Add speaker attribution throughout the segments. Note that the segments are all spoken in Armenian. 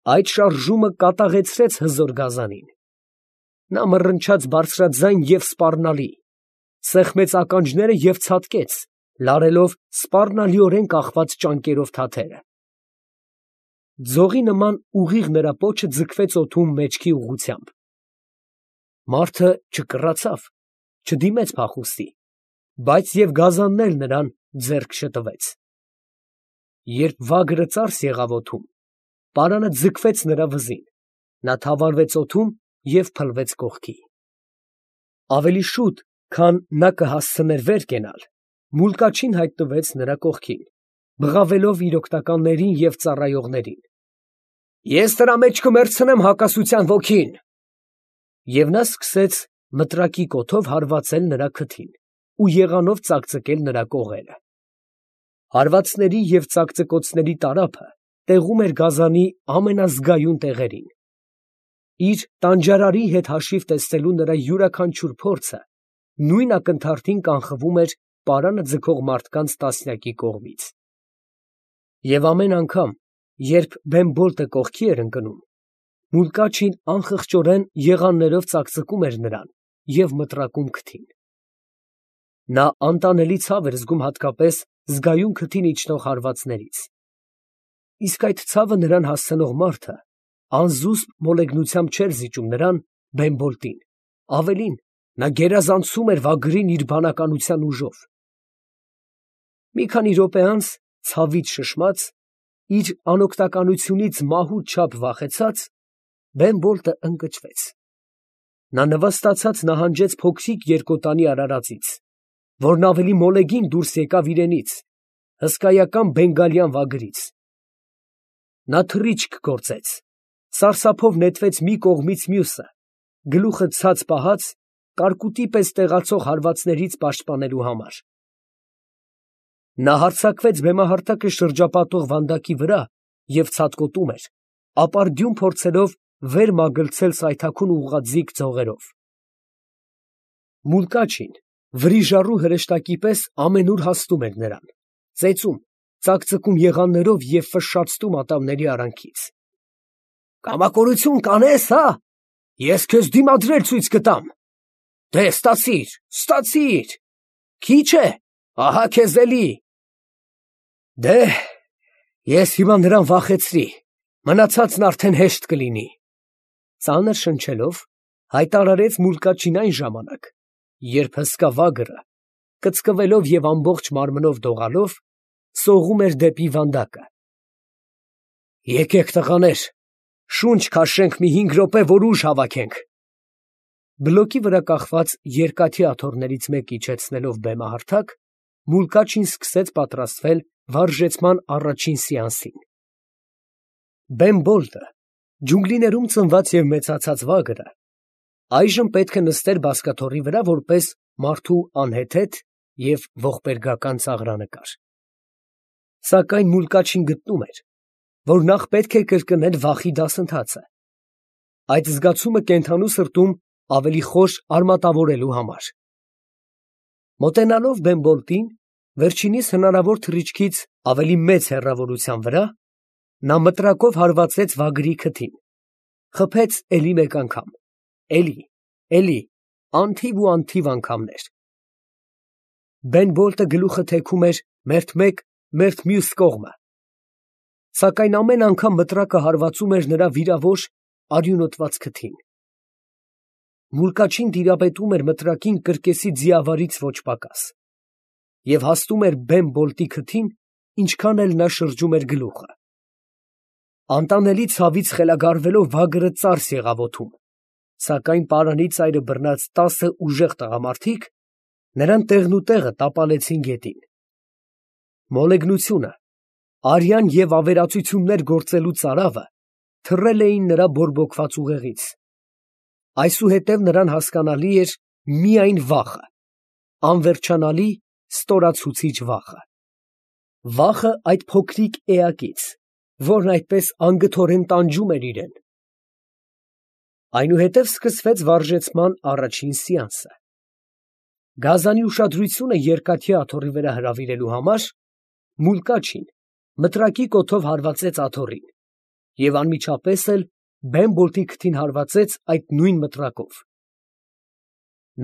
Speaker 1: Այդ շարժումը կատաղեցրեց հզոր գազանին. նա մռնչաց բարձրաձայն և սպառնալի, սեղմեց ականջները և ցատկեց, լարելով սպառնալիորեն կախված ճանկերով թաթերը։ Ձողի նման ուղիղ նրա պոչը ձգվեց օդում մեջքի ուղղությամբ։ Մարդը չկռացավ, չդիմեց փախուստի, բայց և գազանն էլ նրան ձեռք չտվեց։ Երբ վագրը ծարս եղավ օդում, պարանը ձգվեց նրա վզին, նա թավալվեց օդում և փլվեց կողքի։ Ավելի շուտ, քան նա կհասցներ վեր կենալ, Մուլկաչին հայտնվեց նրա կողքին, բղավելով իր օգնականներին և ծառայողներին. «Ես նրա մեջ կմեռցնեմ հակասության ոգին»։ Եվ նա սկսեց մտրակի կոթով հարվածել նրա քթին ու եղանով ծակծկել նրա կողերը։ Հարվածների և ծակծկոցների տարափը տեղում էր գազանի ամենազգայուն տեղերին։ Իր տանջարարի հետ հաշիվ տեսնելու նրա յուրաքանչյուր փորձը նույն ակնթարթին կանխվում էր պարանը ձգող մարդկանց տասնյակի կողմից։ Եվ ամեն անգամ, երբ Բենբոլտը կողքի էր ընկնում, Մուլկաչին անխղճորեն եղաններով ծակծկում էր նրան և մտրակում քթին։ Նա անտանելի ցավ էր զգում հատկապես զգայուն քթին իջնող հարվածներից։ Իսկ այդ ցավը նրան հասցնող մարդը անզուսպ մոլեգնությամբ չէր զիջում նրան, Բենբոլտին, ավելին, նա գերազանցում էր վագրին իր բանականության ուժով։ Մի քանի րոպե անց, ցավից շշմած, իր անօգնականությունից մահու չափ վախեցած, Բենբոլտը ընկճվեց։ Նա նվաստացած նահանջեց փոքրիկ երկոտանի արարածից, որն ավելի մոլեգին դուրս եկավ իրենից, հսկայական բենգալյան վագրից։ Նա թռիչք գործեց, սարսափով նետվեց մի կողմից մյուսը, գլուխը ցած պահած, կարկուտի պես տեղացող հարվածներից պաշտպանելու համար։ Նա հարձակվեց բեմահարթակը շրջապատող վանդակի վրա և ցատկոտում էր, ապարդյուն փորձելով վեր մագլցել սայթաքուն ուղղաձիգ ձողերով։ Մուլկաչին վրիժառու հրեշտակի պես ամենուր հասնում էր նրան, ծեծում, ծակծկում եղաններով և ֆշշացնում ատամների արանքից։ «Կամակորություն կանե՞ս, հա՞։ Ես քեզ դիմադրել ցույց կտամ։ Դե ստացիր, ստացիր։ Քիչ է, ահա քեզ էլի։ Դե, ես հիմա նրան վախեցրի, մնացածն արդեն հեշտ կլինի»։ Ծանր շնչելով, հայտարարեց Մուլկաչին այն ժամանակ, երբ հսկա վագրը, կծկվելով և ամբողջ մարմնով դողալով, սողում էր դեպի վանդակը։ «Եկեք, տղաներ, շունչ քաշենք մի 5 րոպե, որ ուժ հավաքենք»։ Բլոկի վրա կախված երկաթի աթոռներից մեկը իջեցնելով բեմահարթակ, Մուլկաչին սկսեց պատրաստվել վարժեցման առաջին սեանսին։ Բենբոլտը, ջունգլիներում ծնված և մեծացած վագրը, այժմ պետք է նստեր բազկաթոռի վրա որպես մարդու անհեթեթ և ողբերգական ծաղրանկար։ Սակայն Մուլկաչին գտնում էր, որ նախ պետք է կրկնել վախի դասընթացը, այդ զգացումը կենդանու սրտում ավելի խոր արմատավորելու համար։ Մոտենալով Բենբոլտին, վերջինիս հնարավոր թռիչքից ավելի մեծ հեռավորության վրա, նա մտրակով հարվածեց վագրի քթին, խփեց էլի մեկ անգամ, էլի, անթիվ ու անթիվ անգամներ։ Բենբոլտը գլուխը թեքում էր մերթ մեկ, մերթ մյուս կողմը, սակայն ամեն անգամ մտրակը հարվածում էր նրա վիրավոր, արյունոտված քթին։ Մուլկաչին տիրապետում էր մտրակին կրկեսի ձիավարից ոչ պակաս և հասնում էր Բենբոլտի քթին, ինչքան էլ նա շրջում էր գլուխը։ Անտանելի ցավից խելագարվելով վագրը ծարս եղավ օդում, սակայն պարանի ծայրը բռնած 10 ուժեղ տղամարդիկ նրան տեղնուտեղը տապալեցին գետին։ Մոլեգնությունը, արյան և ավերածություններ գործելու ծարավը թռել էին նրա բորբոքված ուղեղից։ Այսուհետև նրան հասկանալի էր միայն վախը, անվերջանալի, ստորացուցիչ վախը։ Վախը այդ փոքրիկ էակից, որն այդպես անգթորեն տանջում էր իրեն։ Այնուհետև սկսվեց վարժեցման առաջին սեանսը։ Գազանի ուշադրությունը երկաթի աթոռի վրա հրավիրելու համար Մուլկաչին մտրակի կոթով հարվածեց աթոռին և անմիջապես էլ Բեն Բոլտի քթին հարվածեց այդ նույն մտրակով։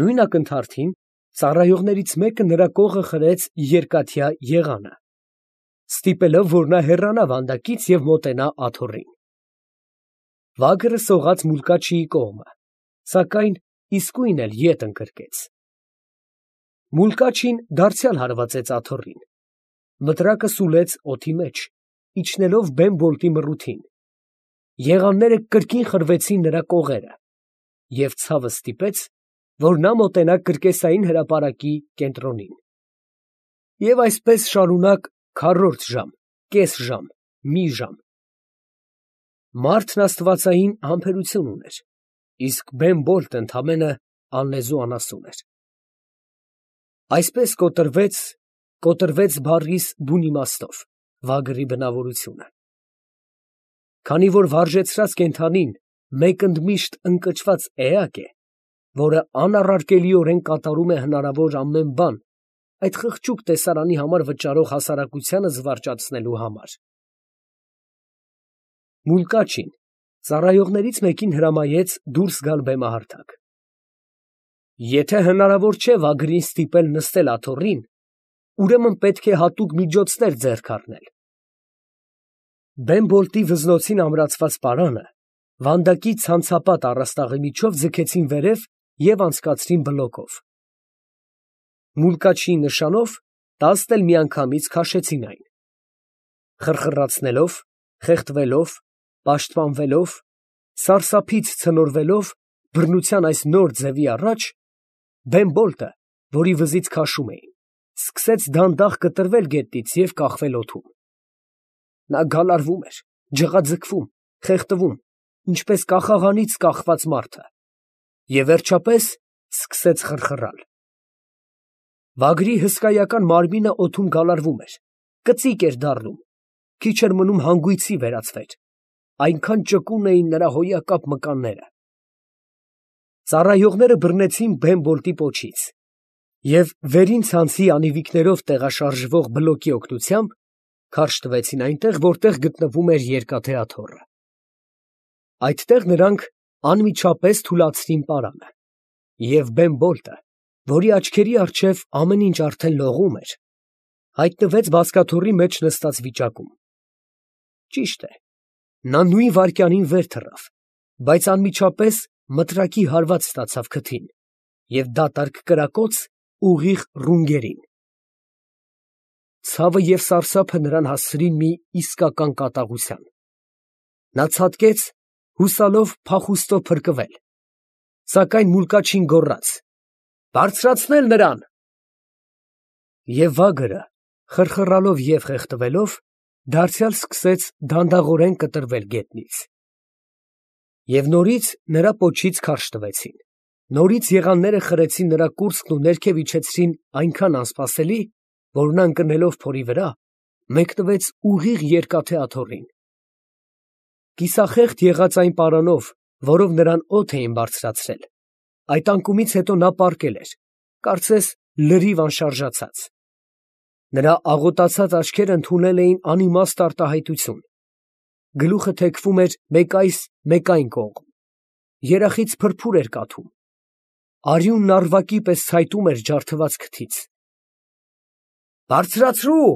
Speaker 1: Նույն ակնթարթին ծառայողներից մեկը նրա կողը խրեց երկաթյա եղանը, ստիպելով, որ նա հեռանա վանդակից և մոտենա աթոռին։ Վագրը սողաց Մուլկաչիի կողմը, սակայն իսկույն էլ ետ ընկրկեց։ Մուլկաչին դարձյալ հարվածեց աթոռին, մտրակը սուլեց օդի մեջ, իջնելով Բեն Բոլտի մռութին, եղանները կրկին խրվեցին նրա կողերը, և ցավը ստիպեց, որ նա մոտենա կրկեսային հրապարակի կենտրոնին։ Եվ այսպես շարունակ քառորդ ժամ, կես ժամ, մի ժամ։ Մարդն աստվածային համբերություն ուներ, իսկ Բեն Բոլտը ընդամենը անլեզու անասուն էր։ Այսպես կոտրվեց բառիս բուն իմաստով վագրի բնավորությունը։ Քանի որ վարժեցրած կենդանին մեկ ընդմիշտ ընկճված էակ է, որը անառարկելիորեն կատարում է հնարավոր ամեն բան այդ խղճուկ տեսարանի համար վճարող հասարակությանը զվարճացնելու համար։ Մուլկաչին ծառայողներից մեկին հրամայեց դուրս գալ բեմահարթակ։ Եթե հնարավոր չէ վագրին ստիպել նստել աթոռին, ուրեմն պետք է հատուկ միջոցներ ձեռք առնել։ Բեն Բոլտի վզնոցին ամրացված պարանը վանդակի ցանցապատ առաստաղի միջով ձգեցին վերև և անցկացրին բլոկով։ Մուլկաչիի նշանով 10 էլ միանգամից քաշեցին այն։ Խրխրացնելով, խեղդվելով, պաշտպանվելով, սարսափից ցնորվելով բռնության այս նոր ձևի առաջ, Բեն Բոլտը, որի վզից քաշում էին, սկսեց դանդաղ կտրվել գետնից և կախվել օդում։ Նա գալարվում էր, ջղաձգվում, խեղդվում, ինչպես կախաղանից կախված մարդը, և վերջապես սկսեց խրխռալ։ Վագրի հսկայական մարմինը օդում գալարվում էր, կծիկ էր դառնում, քիչ էր մնում հանգույցի վերածվեր, այնքան ճկուն էին նրա հոյակապ մկանները։ Ծառայողները բռնեցին Բեն Բոլտի պոչից և վերին ցանցի անիվիկներով տեղաշարժվող բլոկի օգնությամբ քարշ տվեցին այնտեղ, որտեղ գտնվում էր երկաթե աթոռը։ Այդտեղ նրանք անմիջապես թուլացրին պարանը, և Բեն Բոլտը, որի աչքերի առջև ամեն ինչ արդեն լողում էր, հայտնվեց բազկաթոռի մեջ նստած վիճակում։ Ճիշտ է, նա նույն վայրկյանին վեր թռավ, բայց անմիջապես մտրակի հարված ստացավ քթին և դատարկ կրակոց ուղիղ ռունգերին։ Ցավը և սարսափը նրան հասցրին մի իսկական կատաղության։ Նա ցատկեց, հուսալով փախուստով փրկվել, սակայն Մուլկաչին գոռաց. «Բարձրացնել նրան»։ Եվ վագրը, խրխռալով և խեղդվելով, դարձյալ սկսեց դանդաղորեն կտրվել գետնից։ Եվ նորից նրա պոչից քարշ տվեցին, նորից եղանները խրեցին նրա կուրծքն ու ներքև իջեցրին այնքան անսպասելի, որ նա ընկնելով փորի վրա, մեկնվեց ուղիղ երկաթե աթոռին։ Կիսախեղդ եղած այն պարանով, որով նրան օդ էին բարձրացրել, այդ անկումից հետո նա պառկել էր, կարծես լրիվ անշարժացած։ Նրա աղոտացած աչքերը ընդունել էին անիմաստ արտահայտություն, գլուխը թեքվում էր մեկ այս, մեկ այն կողմ, երախից փրփուր էր կաթում, արյունն առվակի պես ցայտում էր ջարդված քթից։ «Բարձրացրու»,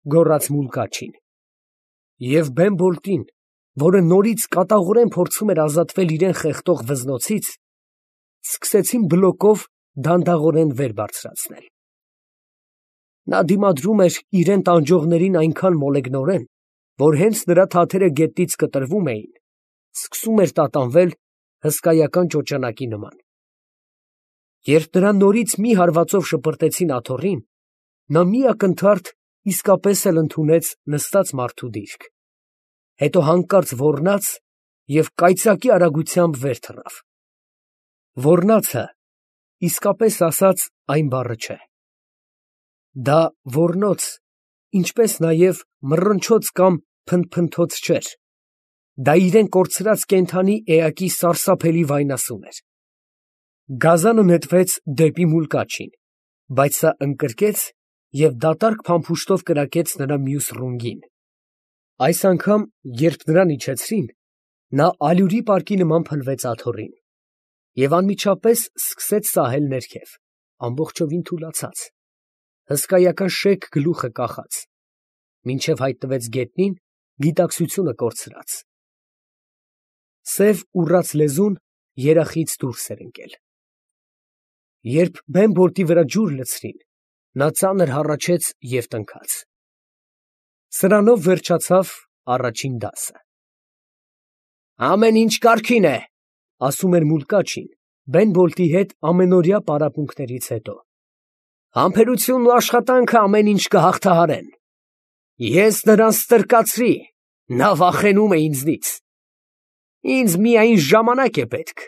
Speaker 1: գոռաց Մուլկաչին։ Եվ Բեն Բոլտին, որը նորից կատաղորեն փորձում էր ազատվել իրան խեղդող վզնոցից, սկսեցին բլոկով դանդաղորեն վեր բարձրացնել։ Նա դիմադրում էր իրան տանջողներին այնքան մոլեգնորեն, որ հենց նրա թաթերը գետնից կտրվում էին, սկսում էր տատանվել հսկայական ճոճանակի նման։ Երբ նրան նորից մի հարվածով շպրտեցին աթոռին, նա մի ակնթարթ իսկապես էլ ընդունեց նստած մարդու դիրք, հետո հանկարծ ոռնաց և կայծակի արագությամբ վեր թռավ։ Ոռնացը, իսկապես ասած, այն բառը չէ։ Դա ոռնոց, ինչպես նաև մռնչոց կամ փնթփնթոց չէր, դա իրան կորցրած կենդանի էակի սարսափելի վայնասուն էր։ Գազանը նետվեց դեպի Մուլկաչին, բայց սա ընկրկեց և դատարկ փամփուշտով կրակեց նրա մյուս ռունգին։ Այս անգամ, երբ նրան իջեցրին, նա ալյուրի պարկի նման փլվեց աթոռին և անմիջապես սկսեց սահել ներքև, ամբողջովին թուլացած, հսկայական շեկ գլուխը կախած, մինչև հայտնվեց գետնին, գիտակցությունը կորցրած. սև ուռած լեզուն երախից դուրս էր ընկել։ Երբ բեմբոլտի վրա ջուր լցրին, նա ծանր հառաչեց և տնքաց։ Սրանով վերջացավ առաջին դասը։ «Ամեն ինչ կարգին է», ասում էր Մուլկաչին Բենբոլտի հետ ամենօրյա պարապմունքներից հետո։ «Համբերությունն ու աշխատանքը ամեն ինչ կհաղթահարեն։ Ես նրան ստրկացրի, նա վախենում է ինձնից։ Ինձ միայն ժամանակ է պետք,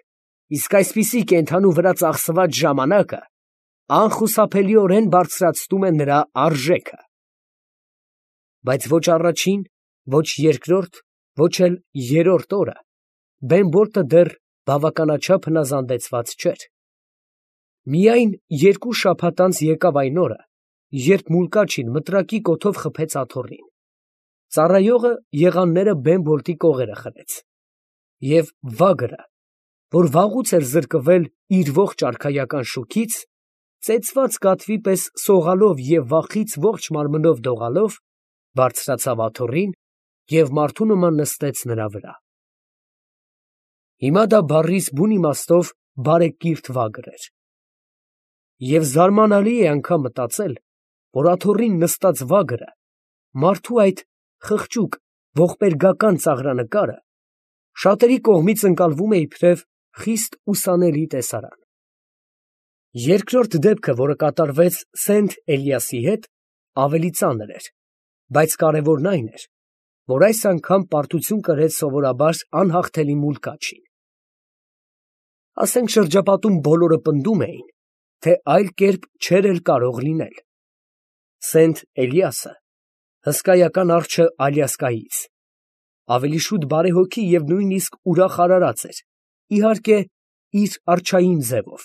Speaker 1: իսկ այսպիսի կենդանու վրա ծախսված ժամանակը անխուսափելիորեն բարձրացնում է նրա արժեքը»։ Բայց ոչ առաջին, ոչ երկրորդ, ոչ էլ երրորդ օրը Բեմբոլտը դեռ բավականաչափ հնազանդեցված չէր։ Միայն 2 շաբաթ անց եկավ այն օրը, երբ Մուլկաչին մտրակի կոթով խփեց աթոռին։ Ծառայողը եղանները Բեմբոլտի կողերը խլեց, և վագրը, որ վաղուց էր զրկվել իր ողջ արքայական շուքից, ծեծված կատվի պես սողալով և վախից ողջ մարմնով դողալով, բարձրացավ աթոռին և մարդու նման նստեց նրա վրա։ Հիմա դա բառիս բուն իմաստով բարեկիրթ վագր էր։ Եվ զարմանալի է անգամ մտածել, որ աթոռին նստած վագրը, մարդու այդ խղճուկ ողբերգական ծաղրանկարը, շատերի կողմից ընկալվում է իբրև խիստ ուսանելի տեսարան։ Երկրորդ դեպքը, որը կատարվեց Սենթ Էլիասի հետ, ավելի ծանր էր, բայց կարևորն այն էր, որ այս անգամ պարտություն կրեց սովորաբար անհաղթելի Մուլկաչին։ Ասենք շրջապատում բոլորը պնդում էին, թե այլ կերպ չէր էլ կարող լինել։ Սենթ Էլիասը, հսկայական արջը Ալյասկայից, ավելի շուտ բարեհոգի և նույնիսկ ուրախ արարած էր, իհարկե, իր արջային ձևով,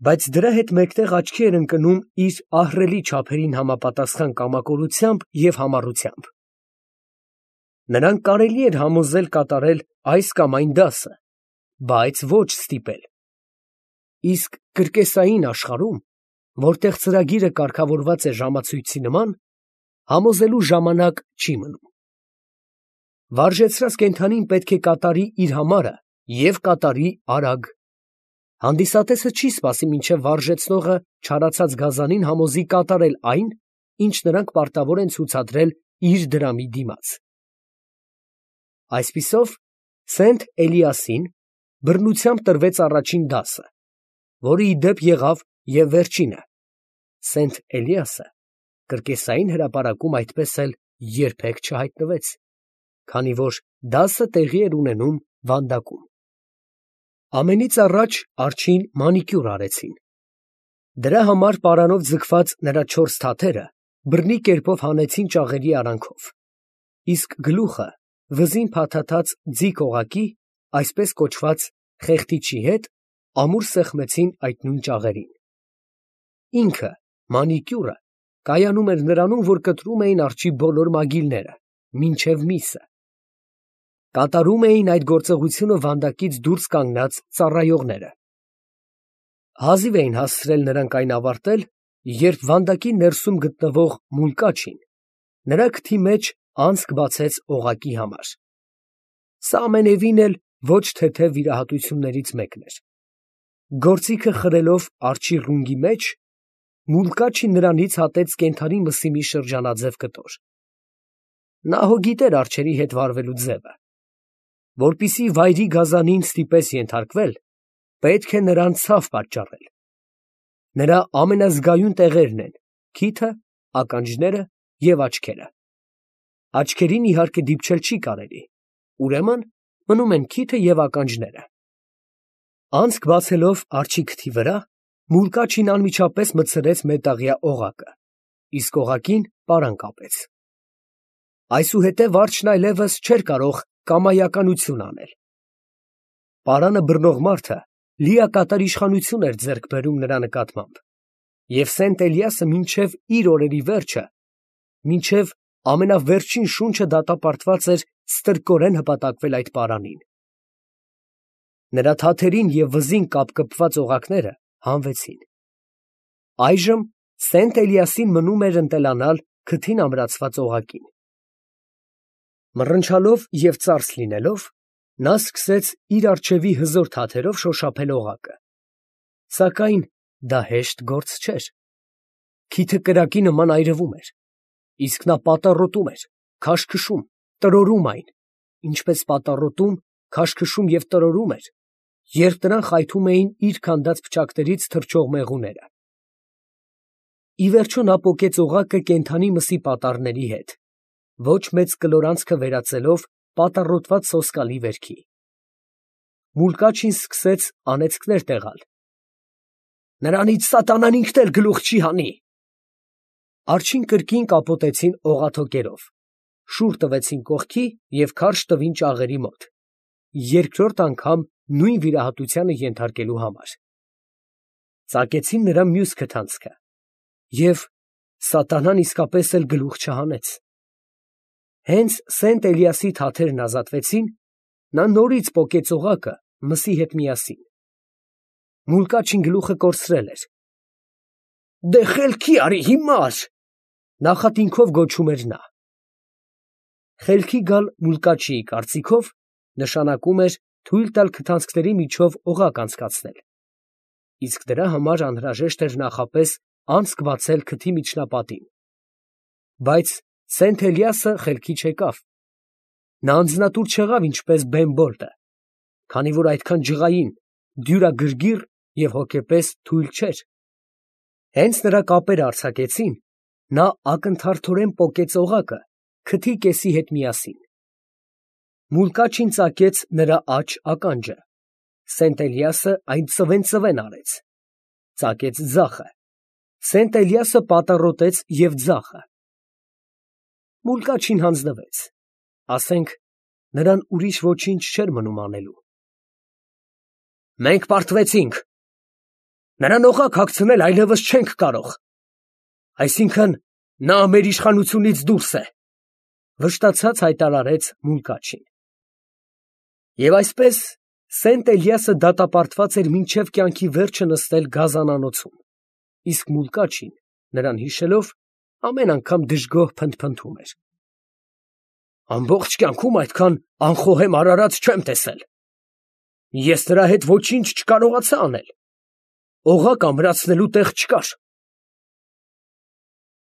Speaker 1: բայց դրա հետ մեկտեղ աչքի էր ընկնում իր ահռելի չափերին համապատասխան կամակորությամբ և համառությամբ։ Նրան կարելի էր համոզել կատարել այս կամ այն դասը, բայց ոչ ստիպել։ Իսկ կրկեսային աշխարհում, որտեղ ծրագիրը կարգավորված է ժամացույցի նման, համոզելու ժամանակ չի մնում։ Վարժեցրած կենդանին պետք է կատարի իր համարը և կատարի արագ։ Հանդիսատեսը չի սպասի, մինչև վարժեցնողը չարացած գազանին համոզի կատարել այն, ինչ նրանք պարտավոր են ցուցադրել իր դրամի դիմաց։ Այսպիսով, Սենթ Էլիասին բռնությամբ տրվեց առաջին դասը, որը ի դեպ եղավ և վերջինը։ Սենթ Էլիասը կրկեսային հրապարակում այդպես էլ երբեք չհայտնվեց, քանի որ դասը տեղի էր ունենում վանդակում։ Ամենից առաջ արջին մանիկյուր արեցին։ Դրա համար պարանով ձգված նրա 4 թաթերը բռնի կերպով հանեցին ճաղերի արանքով, իսկ գլուխը վզին փաթաթած ձիգ օղակի, այսպես կոչված խեղդիչի հետ, ամուր սեղմեցին այդ նույն ճաղերին։ Ինքը, մանիկյուրը, կայանում էր նրանում, որ կտրում էին արջի բոլոր մագիլները, մինչև միսը։ Կատարում էին այդ գործողությունը վանդակից դուրս կանգնած ծառայողները։ Հազիվ էին հասցրել նրանք այն ավարտել, երբ վանդակի ներսում գտնվող Մուլկաչին նրա քթի մեջ անցք բացեց օղակի համար։ Սա ամենևին էլ ոչ թեթև վիրահատություններից մեկն էր։ Գործիքը խրելով արջի ռունգի մեջ, Մուլկաչին նրանից հատեց կենդանի մսի մի շրջանաձև կտոր։ Նա հո գիտեր արջերի հետ վարվելու ձևը։ Որպեսզի վայրի գազանին ստիպես ենթարկվել, պետք է նրան ցավ պատճառել։ Նրա ամենազգայուն տեղերն են քիթը, ականջները և աչքերը։ Աչքերին իհարկե դիպչել չի կարելի, ուրեմն մնում են քիթը և ականջները։ Անցք բացելով արջի քթի վրա, Մուլկաչին անմիջապես մտցրեց մետաղյա օղակը, իսկ օղակին պարան կապեց։ Այսուհետև արջն այլևս չէր կարող կամայականություն անել։ Պարանը բռնող մարդը լիակատար իշխանություն էր ձեռք բերում նրա նկատմամբ, և Սենտ Էլիասը մինչև իր օրերի վերջը, մինչև ամենավերջին շունչը դատապարտված էր ստրկորեն հպատակվել այդ պարանին։ Նրա թաթերին և վզին կապկպված օղակները հանվեցին։ Այժմ Սենտ Էլիասին մնում էր ընտելանալ քթին ամրացված օղակին։ Մռնչալով և ծարս լինելով, նա սկսեց իր առջևի հզոր թաթերով շոշափել օղակը, սակայն դա հեշտ գործ չէր։ Քիթը կրակի նման այրվում էր, իսկ նա պատառոտում էր, քաշքշում, տրորում այն, ինչպես պատառոտում, քաշքշում և տրորում էր, երբ նրան խայթում էին իր քանդած փչակներից թռչող մեղուները։ Ի վերջո նա պոկեց օղակը կենդանի մսի պատառների հետ, ոչ մեծ կլորանցքը վերածելով պատառոտված սոսկալի վերքի։ Մուլկաչին սկսեց անեծքներ տեղալ. «Նրանից սատանան ինքն էլ գլուխ չի հանի»։ Արջին կրկին կապոտեցին օղաթոկերով, շուռ տվեցին կողքի և քարշ տվին ճաղերի մոտ, երկրորդ անգամ նույն վիրահատությանը ենթարկելու համար։ Ծակեցին նրա մյուս քթանցքը, և սատանան իսկապես էլ գլուխ չհանեց։ Հենց Սենտ Էլիասի թաթերն ազատվեցին, նա նորից պոկեց օղակը մսի հետ միասին։ Մուլկաչին գլուխը կորցրել էր։ «Դե խելքի արի հիմար», նախատինքով գոչում էր նա։ Խելքի գալ Մուլկաչիի կարծիքով նշանակում էր թույլ տալ քթանցքների միջով օղակ անցկացնել, իսկ դրա համար անհրաժեշտ էր նախապես անցք բացել քթի միջնապատին։ Բայց Սենտ Էլիասը խելքի չեկավ։ Նա անձնատուր չեղավ ինչպես Բեմբոլտը, քանի որ այդքան ջղային, դյուրագրգիռ և հոգեպես թույլ չէր։ Հենց նրա կապերը արձակեցին, նա ակնթարթորեն պոկեց օղակը քթի կեսի հետ միասին։ Մուլկաչին ծակեց նրա աջ ականջը, Սենտ Էլիասը այն ծվեն արեց, ծակեց ձախը, Սենտ Էլիասը պատառոտեց և ձախը։ Մուլկաչին հանձնվեց, ասենք նրան ուրիշ ոչինչ չէր մնում անելու։ «Մենք պարտվեցինք, նրան օղակ հագցնել այլևս չենք կարող, այսինքն նա մեր իշխանությունից դուրս է», վշտացած հայտարարեց Մուլկաչին։ Եվ այսպես Սենտ Էլիասը դատապարտված էր մինչև կյանքի վերջը նստել գազանանոցում, իսկ Մուլկաչին, նրան հիշելով, ամեն անգամ դժգոհ փնթփնթում էր. «Ամբողջ կյանքում այդքան անխոհեմ արարած չեմ տեսել։ Ես նրա հետ ոչինչ չկարողացա անել։ Օղակ ամրացնելու տեղ չկար։